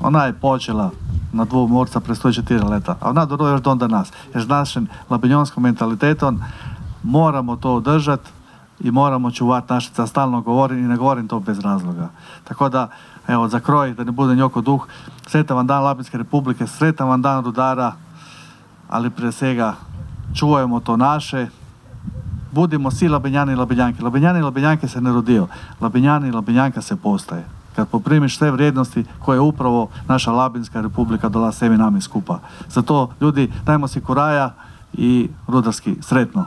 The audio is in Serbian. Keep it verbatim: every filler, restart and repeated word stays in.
Ona je počela na dvou morca pre sto četiri leta, a ona dobro još do onda nas. Jer s našim labinjonskim mentalitetom moramo to održati i moramo čuvati našica, stalno govorim i ne govorim to bez razloga. Tako da, evo, za kroj, da ne bude njoko duh, sretan vam dan Labinske republike, sretan vam dan rudara, ali prije svega čuvajmo to naše, budimo svi Labinjani i Labinjanke. Labinjani i Labinjanke se ne rodio, Labinjani i Labinjanka se postaje. Kad poprimiš sve vrijednosti koje je upravo naša Labinska republika dala sebi nami skupa. Zato, ljudi, dajmo si kuraja i rudarski sretno.